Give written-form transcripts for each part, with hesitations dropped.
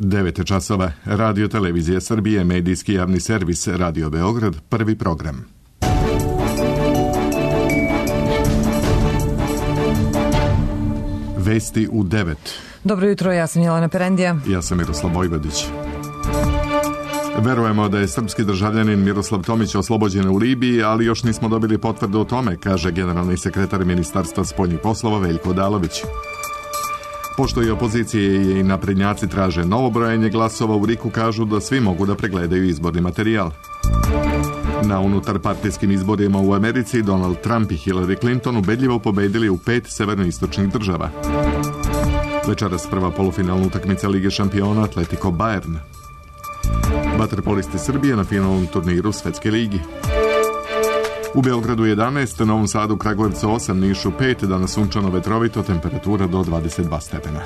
9 časova. Radio Televizija Srbije, medijski javni servis Radio Beograd, prvi program. Vesti u 9. Dobro jutro, ja sam Jelena Perendija. Ja sam Miroslav Vojvodić. Verujemo da je srpski državljanin Miroslav Tomić oslobođen u Libiji, ali još nismo dobili potvrdu o tome, kaže generalni sekretar Ministarstva spoljnih poslova Veljko Odalović. Pošto i opozicije i naprednjaci traže novo brojanje glasova, u RIK-u kažu da svi mogu da pregledaju izborni materijal. Na unutarpartijskim izborima u Americi Donald Trump i Hillary Clinton ubedljivo pobedili u 5 severnoistočnih država. Večeras prva polufinalna utakmica Lige šampiona Atletico Bayern. Vaterpolisti Srbije na finalnom turniru Svetske ligi. U Beogradu 11, Novom Sadu, Kragujevcu 8, Nišu 5, danas sunčano vetrovito, temperatura do 22 stepena.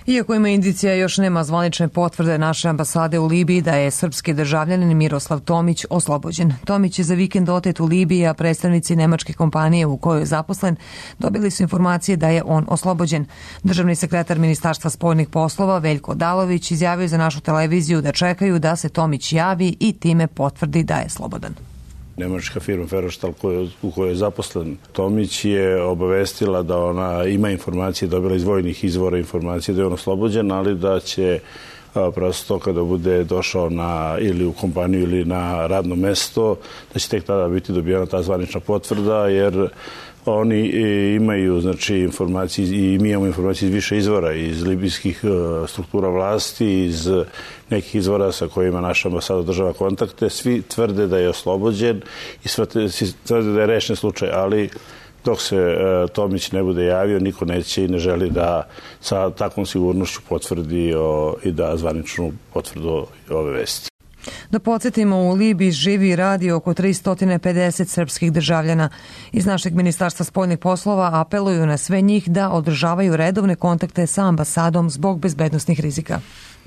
Iako ima indicija, još nema zvanične potvrde naše ambasade u Libiji da je srpski državljanin Miroslav Tomić oslobođen. Tomić je za vikend otet u Libiji, a predstavnici nemačke kompanije u kojoj je zaposlen dobili su informacije da je on oslobođen. Državni sekretar Ministarstva spoljnih poslova Veljko Odalović izjavio za našu televiziju da čekaju da se Tomić javi i time potvrdi da je slobodan. Nemačka firma Ferostal u kojoj je zaposlen Tomić je obavestila da ona ima informacije, dobila iz vojnih izvora informacije da je on oslobođen, ali da će prosto kada bude došao ili u kompaniju ili na radno mesto, da će tek tada biti dobijena ta zvanična potvrda, jer oni imaju informacije i mi imamo informacije iz više izvora, iz libijskih struktura vlasti, iz nekih izvora sa kojima naša ambasada država kontakte. Svi tvrde da je oslobođen i svi tvrde da je rešen slučaj, ali dok se Tomić ne bude javio, niko neće i ne želi da sa takvom sigurnošću potvrdi i da zvaničnu potvrdu ove vesti. Da podsjetimo, u Libiji živi i radi oko 350 srpskih državljana. Iz našeg Ministarstva spoljnih poslova apeluju na sve njih da održavaju redovne kontakte sa ambasadom zbog bezbednosnih rizika.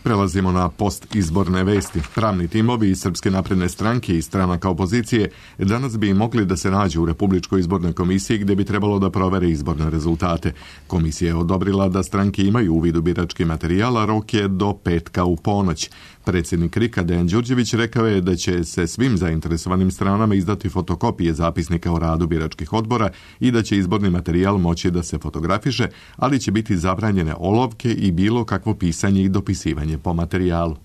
Prelazimo na postizborne vesti. Pravni timovi iz Srpske napredne stranke i stranaka opozicije danas bi mogli da se nađu u Republičkoj izbornoj komisiji gde bi trebalo da provere izborne rezultate. Komisija je odobrila da stranke imaju uvid u birački materijal, a rok je do petka u ponoć. Predsjednik RIK-a Dejan Đurđević rekao je da će se svim zainteresovanim stranama izdati fotokopije zapisnika o radu biračkih odbora i da će izborni materijal moći da se fotografiše, ali će biti zabranjene olovke i bilo kakvo pisanje i dopisivanje po materijalu.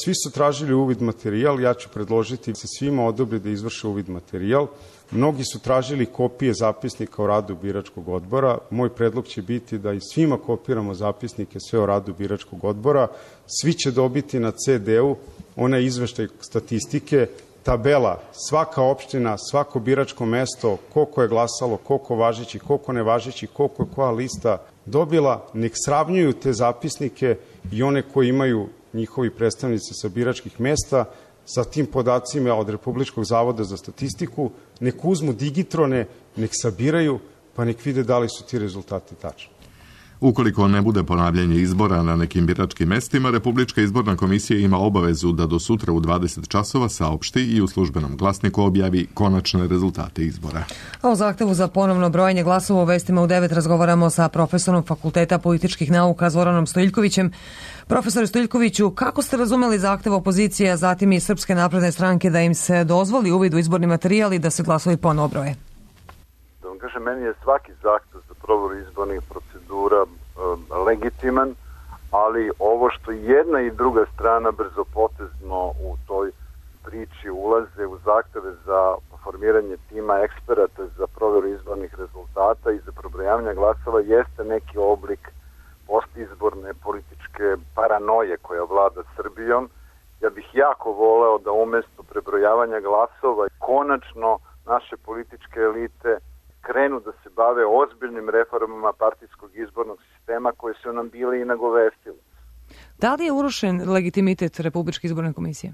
Svi su tražili uvid materijal, ja ću predložiti da se svima odobri da izvrše uvid materijal. Mnogi su tražili kopije zapisnika o radu biračkog odbora. Moj predlog će biti da i svima kopiramo zapisnike sve o radu biračkog odbora. Svi će dobiti na CD-u onaj izveštaj statistike, tabela, svaka opština, svako biračko mesto, koliko je glasalo, koliko važeći, koliko nevažeći, koliko je koja lista dobila. Nek sravnjuju te zapisnike i one koji imaju njihovi predstavnici sa biračkih mesta sa tim podacima od Republičkog zavoda za statistiku, nek uzmu digitrone, nek sabiraju, pa nek vide da li su ti rezultati tačni. Ukoliko ne bude ponavljanje izbora na nekim biračkim mestima, Republička izborna komisija ima obavezu da do sutra u 20 časova saopšti i u službenom glasniku objavi konačne rezultate izbora. A o zahtevu za ponovno brojanje glasova u vestima u 9 razgovaramo sa profesorom Fakulteta političkih nauka Zoranom Stojiljkovićem. Profesore Stojiljkoviću, kako ste razumeli zahtev opozicije, a zatim i Srpske napredne stranke da im se dozvoli uvid u izborni materijal i da se glasovi ponovo broje? Da vam kažem, meni je svaki zahtev za proveru izbornih procedura legitiman, ali ovo što jedna i druga strana brzopotezno u toj priči ulaze u zahteve za formiranje tima eksperata za proveru izbornih rezultata i za prebrojavanje glasova jeste neki oblik postizborne političke paranoje koja vlada Srbijom. Ja bih jako voleo da umesto prebrojavanja glasova konačno naše političke elite krenu da se bave ozbiljnim reformama partijskog izbornog sistema koje su nam bile i nagovestile. Da li je urušen legitimitet Republičke izborne komisije?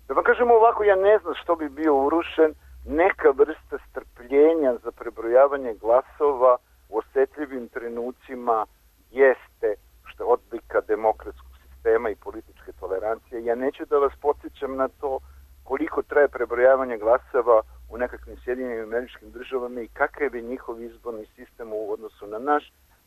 Da vam kažemo ovako, ja ne znam što bi bio urušen. Neka vrsta strpljenja za prebrojavanje glasova u osetljivim trenucima jeste što je odlika demokratskog sistema i političke tolerancije. Ja neću da vas podsjećam na to koliko traje prebrojavanje glasova u nekakvim Sjedinjenim Američkim Državama i kakav je njihov izborni sistem u odnosu na naš.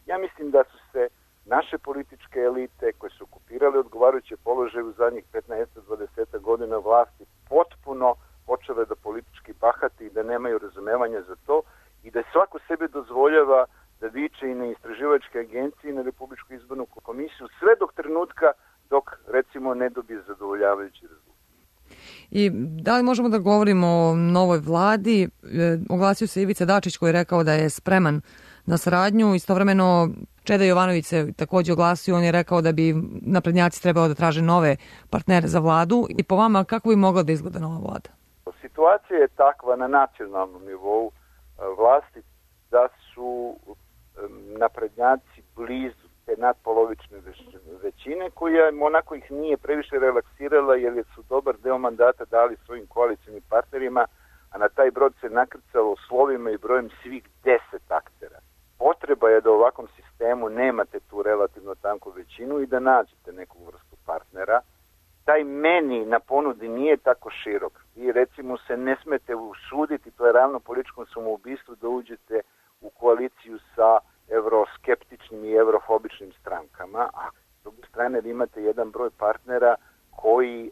Ja mislim da su se naše političke elite koje su okupirale odgovarajuće položaje u zadnjih 15-20 godina vlasti potpuno počele da politički bahati i da nemaju razumevanja za to i da svako sebe dozvoljava da viče i na istraživačke agencije i na Republičku izbornu komisiju sve dok trenutka dok recimo ne dobije zadovoljavajući rezultat. I da li možemo da govorimo o novoj vladi? Oglasio se Ivica Dačić koji je rekao da je spreman na saradnju. Istovremeno Čeda Jovanović se također oglasio. On je rekao da bi naprednjaci trebalo da traže nove partnere za vladu. I po vama kako bi mogla da izgleda nova vlada? Situacija je takva na nacionalnom nivou vlasti da su naprednjaci blizu te nadpolovične većine koja onako ih nije previše relaksirala jer su dobar deo mandata dali svojim koalicijnim partnerima, a na taj brod se nakrcalo slovima i brojem svih 10 aktera. Potreba je da u ovakvom sistemu nemate tu relativno tanku većinu i da nađete neku vrstu partnera. Taj meni na ponudi nije tako širok. Vi recimo se ne smete usuditi, to je ravno političkom samoubistvu, da uđete u koaliciju sa evroskeptičnim i evrofobičnim strankama, a s druge strane vi imate jedan broj partnera koji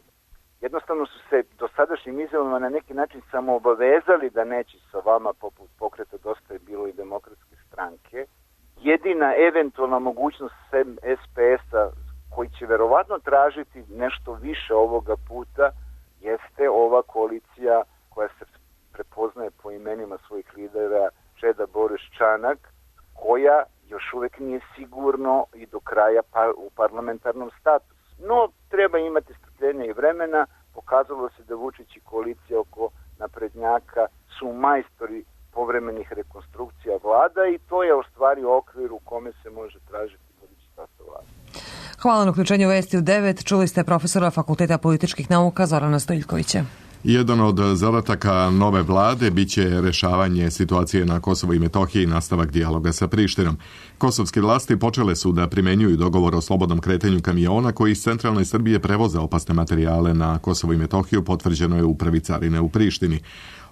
jednostavno su se dosadašnjim izjavama na neki način samo obavezali da neće sa vama poput Pokreta Dosta je bilo i Demokratske stranke. Jedina eventualna mogućnost SPS-a koji će verovatno tražiti nešto više ovoga puta jeste ova koalicija koja se prepoznaje po imenima svojih lidera Čeda, Boris, Čanak, koja još uvek nije sigurno i do kraja u parlamentarnom statusu. No, treba imati strpljenja i vremena. Pokazalo se da Vučić i koalicija oko naprednjaka su majstori povremenih rekonstrukcija vlada i to je u stvari okvir u kome se može tražiti budući sastav vlade. Hvala na uključenju Vesti u 9. Čuli ste profesora Fakulteta političkih nauka Zorana Stojiljkovića. Jedan od zadataka nove vlade biće rešavanje situacije na Kosovu i Metohiji i nastavak dijaloga sa Prištinom. Kosovske vlasti počele su da primenjuju dogovor o slobodnom kretanju kamiona koji iz centralne Srbije prevoze opasne materijale na Kosovo i Metohiju, potvrđeno je u upravi carine u Prištini.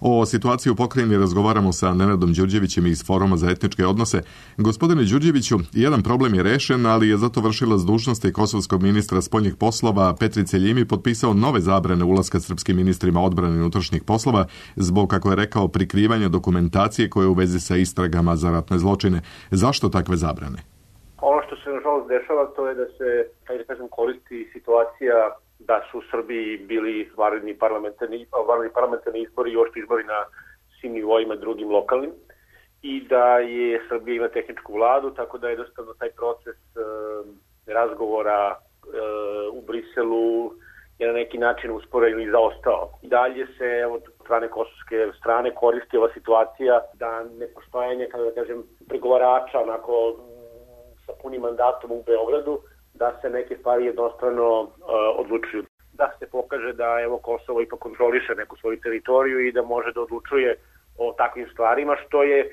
O situaciji u pokrajini razgovaramo sa Nenadom Đurđevićem iz Foruma za etničke odnose. Gospodine Đurđeviću, jedan problem je rešen, ali je zato vršilac dužnosti kosovskog ministra spoljnih poslova Petrice Ljimi potpisao nove zabrane ulaska srpskim ministrima odbrane i unutrašnjih poslova zbog, kako je rekao, prikrivanja dokumentacije koje je u vezi sa istragama za ratne zločine. Zašto takve zabrane? Ono što se nažalost dešava to je da se, koristi situacija da su u Srbiji bili vanredni parlamentarni izbori i još izbori na svim nivoima drugim lokalnim i da je Srbija ima tehničku vladu, tako da je jednostavno taj proces razgovora u Briselu je na neki način usporen i zaostao. I dalje se od strane kosovske strane koristi ova situacija da nepostojanje, pregovarača onako sa punim mandatom u Beogradu, da se neke stvari jednostrano odlučuju. Da se pokaže da Kosovo ipak kontroliše neku svoju teritoriju i da može da odlučuje o takvim stvarima, što je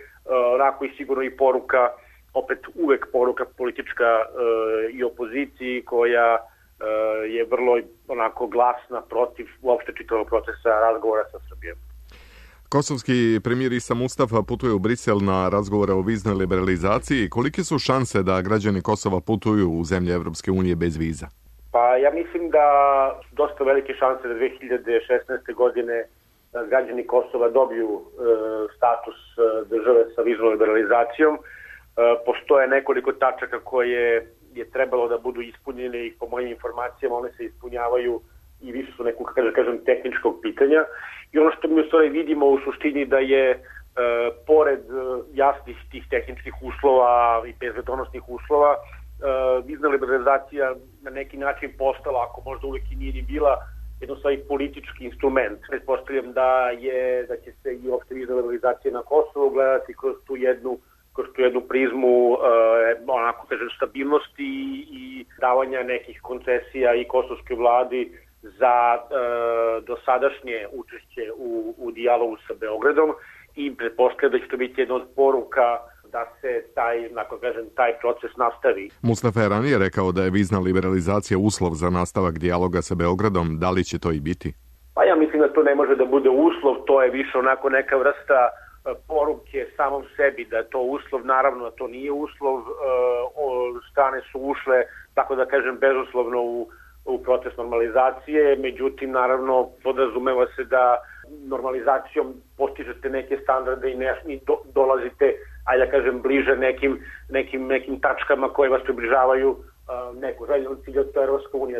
onako i sigurno i poruka, opet uvek poruka politička i opoziciji koja je vrlo onako glasna protiv uopšte čitavog procesa razgovora sa Srbijom. Kosovski premijer Isa Mustafa putuje u Brisel na razgovore o viznoj liberalizaciji. Kolike su šanse da građani Kosova putuju u zemlje Evropske unije bez viza? Pa ja mislim da su dosta velike šanse da 2016. godine građani Kosova dobiju status države sa viznom liberalizacijom. Postoje nekoliko tačaka koje je trebalo da budu ispunjene i po mojim informacijama one se ispunjavaju i više su nekog, tehničkog pitanja. I ono što mi u stvari vidimo u suštini da je pored jasnih tih tehničkih uslova i bezbednosnih uslova vizna liberalizacija na neki način postala, ako možda uvek i nije ni bila, jednostavno politički instrument. Pretpostavljam da će se i uopšte vizna liberalizacija na Kosovu gledati kroz tu jednu prizmu stabilnosti i davanja nekih koncesija i kosovskoj vladi za dosadašnje učešće u dijalogu sa Beogradom i pretpostavljam da će to biti jedna od poruka da se taj proces nastavi. Mustafa je ranije rekao da je vizna liberalizacija uslov za nastavak dijaloga sa Beogradom. Da li će to i biti? Pa ja mislim da to ne može da bude uslov, to je više onako neka vrsta poruke samom sebi da je to uslov, naravno da to nije uslov, strane su ušle, tako da kažem, bezuslovno u proces normalizacije, međutim, naravno, podrazumeva se da normalizacijom postižete neke standarde i dolazite, ajde da kažem, bliže nekim tačkama koje vas približavaju neku željenu cilju, to je Evropska unija.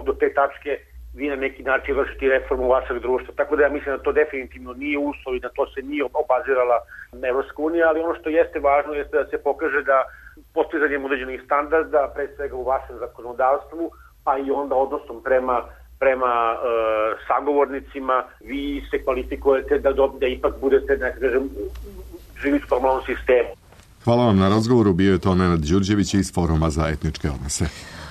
Do te tačke vi na neki način vršite reformu vašeg društva. Tako da ja mislim da to definitivno nije uslov i da to se nije obazirala Evropska unija, ali ono što jeste važno jeste da se pokaže da postizanjem određenih standarda, pre svega u vašem zakonodavstvu, pa i onda odnosom prema sagovornicima, vi se kvalifikujete da ipak budete, nekako kažem, živite u normalnom sistemu. Hvala vam na razgovoru, bio je to Nenad Đurđević iz Foruma za etničke odnose.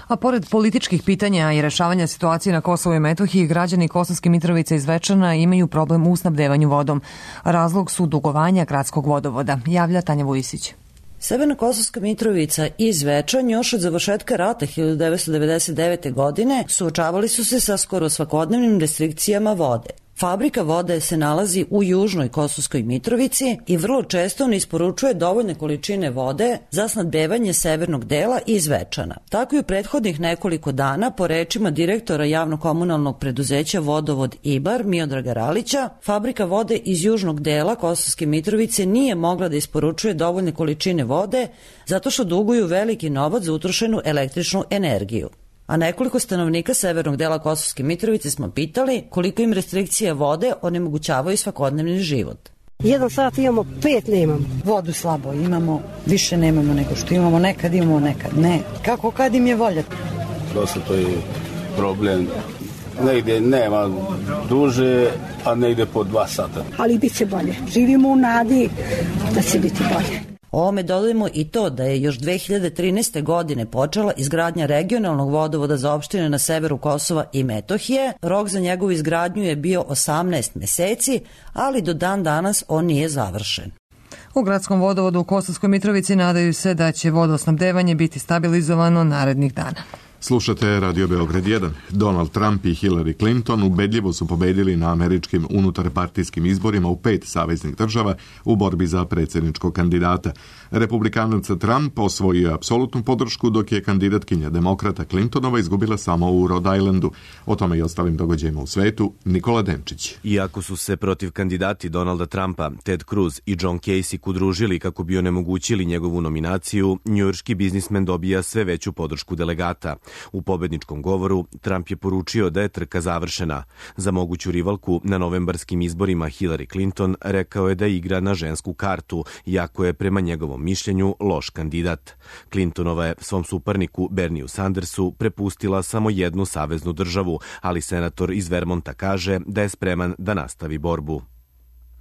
A pored političkih pitanja i rešavanja situacije na Kosovu i Metohiji, građani Kosovske Mitrovice i Zvečana imaju problem u snabdevanju vodom. Razlog su dugovanja gradskog vodovoda, javlja Tanja Vujisić. Severna Kosovska Mitrovica i Zvečan još od završetka rata 1999. godine suočavali su se sa skoro svakodnevnim restrikcijama vode. Fabrika vode se nalazi u južnoj Kosovskoj Mitrovici i vrlo često ne isporučuje dovoljne količine vode za snabdevanje severnog dela i Zvečana. Tako i u prethodnih nekoliko dana, po rečima direktora javno-komunalnog preduzeća Vodovod Ibar Miodraga Ralića, fabrika vode iz južnog dela Kosovske Mitrovice nije mogla da isporučuje dovoljne količine vode zato što duguju veliki novac za utrošenu električnu energiju. A nekoliko stanovnika severnog dela Kosovske Mitrovice smo pitali koliko im restrikcije vode onemogućavaju svakodnevni život. 1 sat imamo, 5 nemamo. Vodu slabo imamo, više nemamo nego što imamo, nekad ne. Kako kad im je volja? Dosta to je problem. Negdje nema duže, a negdje po 2 sata. Ali bit će bolje. Živimo u nadi da će biti bolje. Ovome dodajemo i to da je još 2013. godine počela izgradnja regionalnog vodovoda za opštine na severu Kosova i Metohije. Rok za njegovu izgradnju je bio 18 meseci, ali do dan danas on nije završen. U gradskom vodovodu u Kosovskoj Mitrovici nadaju se da će vodosnabdevanje biti stabilizovano narednih dana. Slušate Radio Beograd 1. Donald Trump i Hillary Clinton ubedljivo su pobedili na američkim unutarpartijskim izborima u 5 saveznih država u borbi za predsjedničkog kandidata. Republikanac Trump osvojio apsolutnu podršku, dok je kandidatkinja demokrata Clintonova izgubila samo u Rhode Islandu. O tome i ostalim događajima u svetu, Nikola Denčić. Iako su se protiv kandidati Donalda Trumpa, Ted Cruz i John Kasich udružili kako bi onemogućili njegovu nominaciju, njujorški biznismen dobija sve veću podršku delegata. U pobedničkom govoru Trump je poručio da je trka završena. Za moguću rivalku na novembarskim izborima Hillary Clinton rekao je da igra na žensku kartu, iako je prema njegovom mišljenju loš kandidat. Clintonova je svom suparniku Bernieu Sandersu prepustila samo jednu saveznu državu, ali senator iz Vermonta kaže da je spreman da nastavi borbu.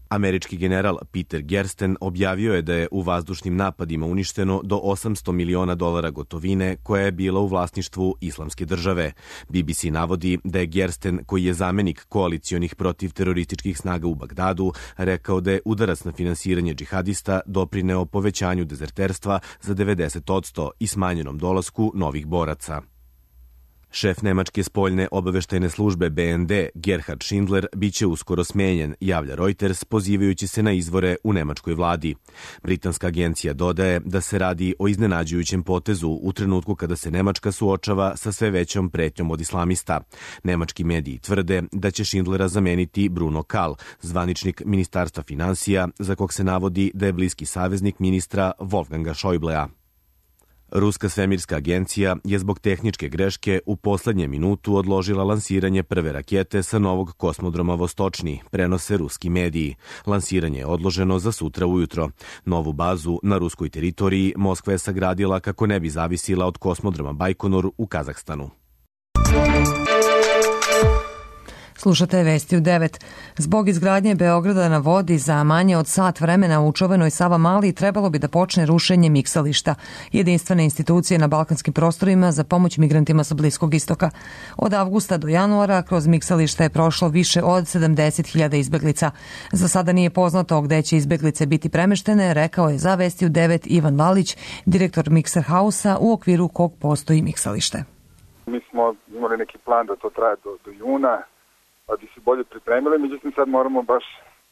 Američki general Peter Gersten objavio je da je u vazdušnim napadima uništeno do $800 miliona gotovine koja je bila u vlasništvu Islamske države. BBC navodi da je Gersten, koji je zamenik koalicionih protiv terorističkih snaga u Bagdadu, rekao da je udarac na finansiranje džihadista doprineo povećanju dezerterstva za 90% i smanjenom dolasku novih boraca. Šef nemačke spoljne obaveštajne službe BND Gerhard Schindler biće uskoro smenjen, javlja Reuters, pozivajući se na izvore u nemačkoj vladi. Britanska agencija dodaje da se radi o iznenađujućem potezu u trenutku kada se Nemačka suočava sa sve većom pretnjom od islamista. Nemački mediji tvrde da će Schindlera zameniti Bruno Kahl, zvaničnik Ministarstva finansija, za kog se navodi da je bliski saveznik ministra Wolfganga Schäublea. Ruska svemirska agencija je zbog tehničke greške u poslednjem minutu odložila lansiranje prve rakete sa novog kosmodroma Vostočni, prenose ruski mediji. Lansiranje je odloženo za sutra ujutro. Novu bazu na ruskoj teritoriji Moskva je sagradila kako ne bi zavisila od kosmodroma Bajkonur u Kazahstanu. Slušate vesti u 9. Zbog izgradnje Beograda na vodi za manje od sat vremena u čuvenoj Savamali trebalo bi da počne rušenje miksališta, jedinstvene institucije na balkanskim prostorima za pomoć migrantima sa Bliskog istoka. Od avgusta do januara kroz miksališta je prošlo više od 70.000 izbeglica. Za sada nije poznato gde će izbeglice biti premeštene, rekao je za vesti u 9 Ivan Valić, direktor Mikser Hausa, u okviru kog postoji miksalište. Mi smo imali neki plan da to traje do juna, pa bi se bolje pripremili, međutim sad moramo baš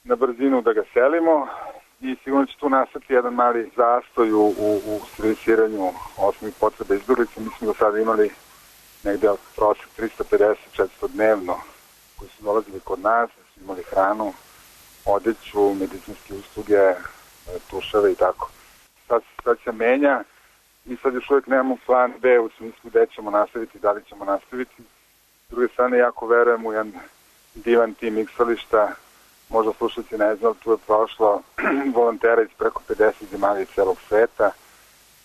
na brzinu da ga selimo i sigurno će tu nastati jedan mali zastoj u servisiranju osnovnih potreba izbjeglica. Mi smo do sada imali negde prosek 350-400 dnevno koji su dolazili kod nas, su imali hranu, odeću, medicinske usluge, tuševe i tako. Sad se menja i sad još uvijek nemamo plan B u smislu gde ćemo nastaviti, da li ćemo nastaviti. S druge strane, jako verujem u jedan divan tim iksališta. Možda slušalci ne znam, tu je prošlo volontera iz preko 50 zemalja iz celog sveta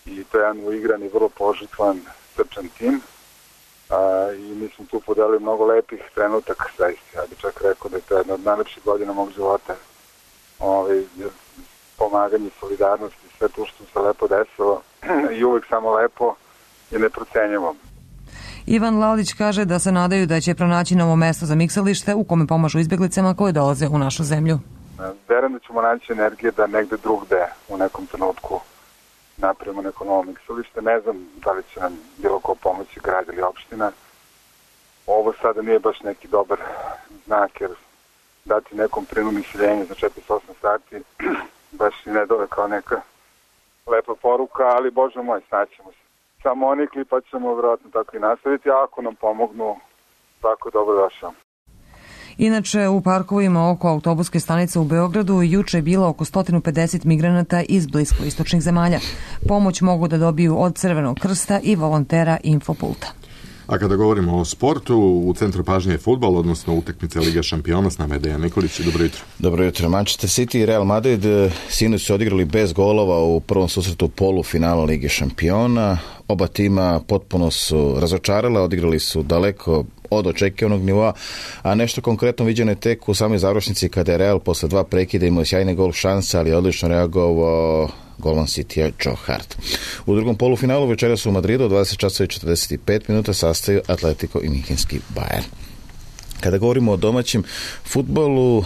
i to je jedan uigran i vrlo požrtvovan, srčan tim. I mi smo tu podelili mnogo lepih trenutaka, zaista. Ja bih čak rekao da je to jedna od najlepših godina mog života. Pomaganje, solidarnost i sve to što se lepo desilo i uvek samo lepo i neprocenjivo. Ivan Lalić kaže da se nadaju da će pronaći novo mesto za miksalište u kome pomažu izbjeglicama koje dolaze u našu zemlju. Verujem da ćemo naći energije da negde drugde u nekom trenutku napravimo neko novo miksalište. Ne znam da li će nam bilo ko pomoći, grad ili opština. Ovo sada nije baš neki dobar znak, jer dati nekom prinudno iseljenje za 4-8 sati baš i ne dole kao neka lepa poruka, ali Bože moj, snaćemo se. Samo onikli pa ćemo vjerojatno tako i nastaviti, a ako nam pomognu, tako je dobro došao. Inače, u parkovima oko autobuske stanice u Beogradu juče je bilo oko 150 migranata iz bliskoistočnih zemalja. Pomoć mogu da dobiju od Crvenog krsta i volontera Infopulta. A kada govorimo o sportu, u centru pažnje je fudbal, odnosno utakmice Liga šampiona. S nama je Dejan Nikolić. Dobro jutro. Dobro jutro. Manchester City i Real Madrid sinoć su odigrali bez golova u prvom susretu polufinala Lige šampiona. Oba tima potpuno su razočarala, odigrali su daleko od očekivanog nivoa, a nešto konkretno viđeno je tek u samoj završnici kada je Real posle 2 prekida imao sjajne gol šanse, ali je odlično reagovao golman Citya Joe Hart. U drugom polufinalu večeras u Madridu od 20:45 minuta sastaju Atletico i Minhenski Bayern. Kada govorimo o domaćem fudbalu,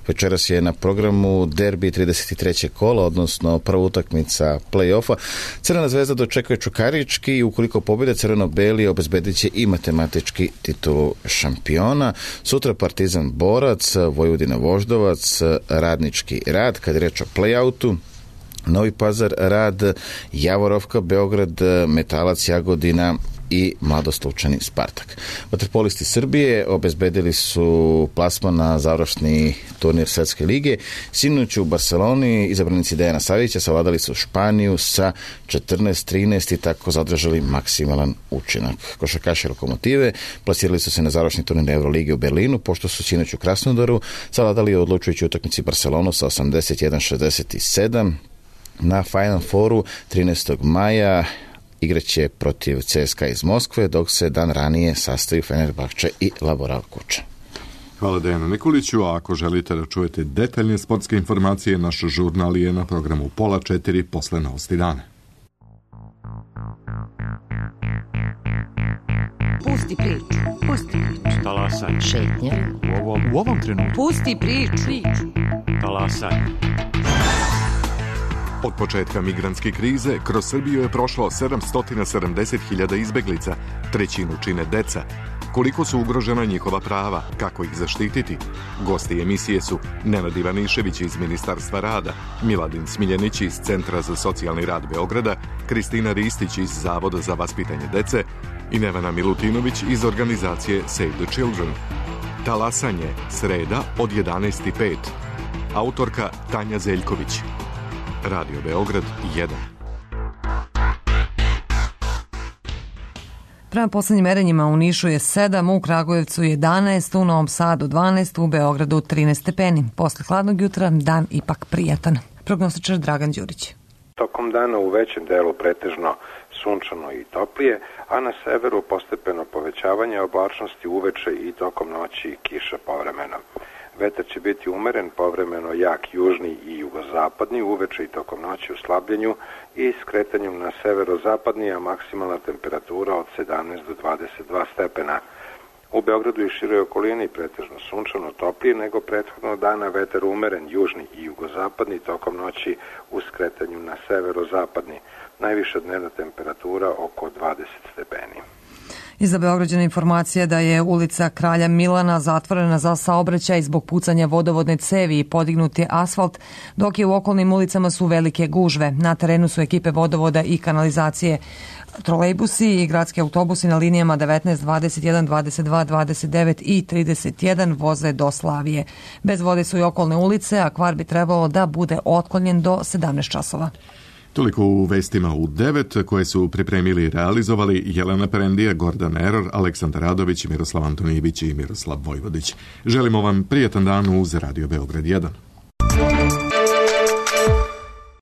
večeras je na programu derbi 33. kola, odnosno prva utakmica play-offa. Crvena zvezda dočekuje Čukarički i ukoliko pobjede crveno-beli obezbedit će i matematički titulu šampiona. Sutra Partizan Borac, Vojvodina Voždovac, Radnički Rad. Kad je reč o play-outu, Novi Pazar Rad, Javorovka Beograd, Metalac Jagodina i Mladost Lučani Spartak. Vaterpolisti Srbije obezbedili su plasman na završni turnir Svetske lige. Sinoć u Barceloni izabranici Dejana Savića savladali su Španiju sa 14-13 i tako zadržali maksimalan učinak. Košarkaši Lokomotive plasirali su se na završni turnir Evrolige u Berlinu, pošto su sinoć u Krasnodaru savladali odlučujući utakmici Barcelonu sa 81-67. Na Final Fouru 13. maja igraće protiv CSKA iz Moskve, dok se dan ranije sastaju Fenerbahče i Laboral Kuča. Hvala Dejanu Nikoliću, a ako želite da čujete detaljne sportske informacije, naš žurnal je na programu 3:30 posle novosti dana. Pusti priču. Talasaj. Šetnja. U ovom trenutku. Pusti priču. Talasaj. Od početka migrantske krize kroz Srbiju je prošlo 770.000 izbeglica, trećinu čine deca. Koliko su ugrožena njihova prava, kako ih zaštititi? Gosti emisije su Nenad Ivanišević iz Ministarstva rada, Miladin Smiljanić iz Centra za socijalni rad Beograda, Kristina Ristić iz Zavoda za vaspitanje dece i Nevena Milutinović iz organizacije Save the Children. Talasanje, sreda od 11:05. Autorka Tanja Zeljković. Radio Beograd 1. Prema poslednjim merenjima u Nišu je 7, u Kragujevcu 11, u Novom Sadu 12, u Beogradu 13 stepeni. Posle hladnog jutra dan ipak prijatan. Prognostičar Dragan Đurić. Tokom dana u većem delu pretežno sunčano i toplije, a na severu postepeno povećavanje oblačnosti uveče i tokom noći kiša povremeno. Vetar će biti umeren, povremeno jak južni i jugozapadni, uveče i tokom noći u slabljenju i skretanjem na severozapadni, a maksimalna temperatura od 17 do 22 stepena. U Beogradu i široj okolini pretežno sunčano toplije nego prethodnog dana, vetar umeren, južni i jugozapadni, tokom noći u skretanju na severozapadni. Najviša dnevna temperatura oko 20 stepeni. Iza Beograđana informacija da je ulica Kralja Milana zatvorena za saobraćaj zbog pucanja vodovodne cevi i podignut je asfalt, dok je u okolnim ulicama su velike gužve. Na terenu su ekipe vodovoda i kanalizacije. Trolejbusi i gradski autobusi na linijama 19, 21, 22, 29 i 31 voze do Slavije. Bez vode su i okolne ulice, a kvar bi trebalo da bude otklonjen do 17 časova. Toliko u vestima u 9 koje su pripremili i realizovali Jelena Perendija, Gordan Eror, Aleksandar Radović, Miroslav Antonijević i Miroslav Vojvodić. Želimo vam prijatan dan uz Radio Beograd 1.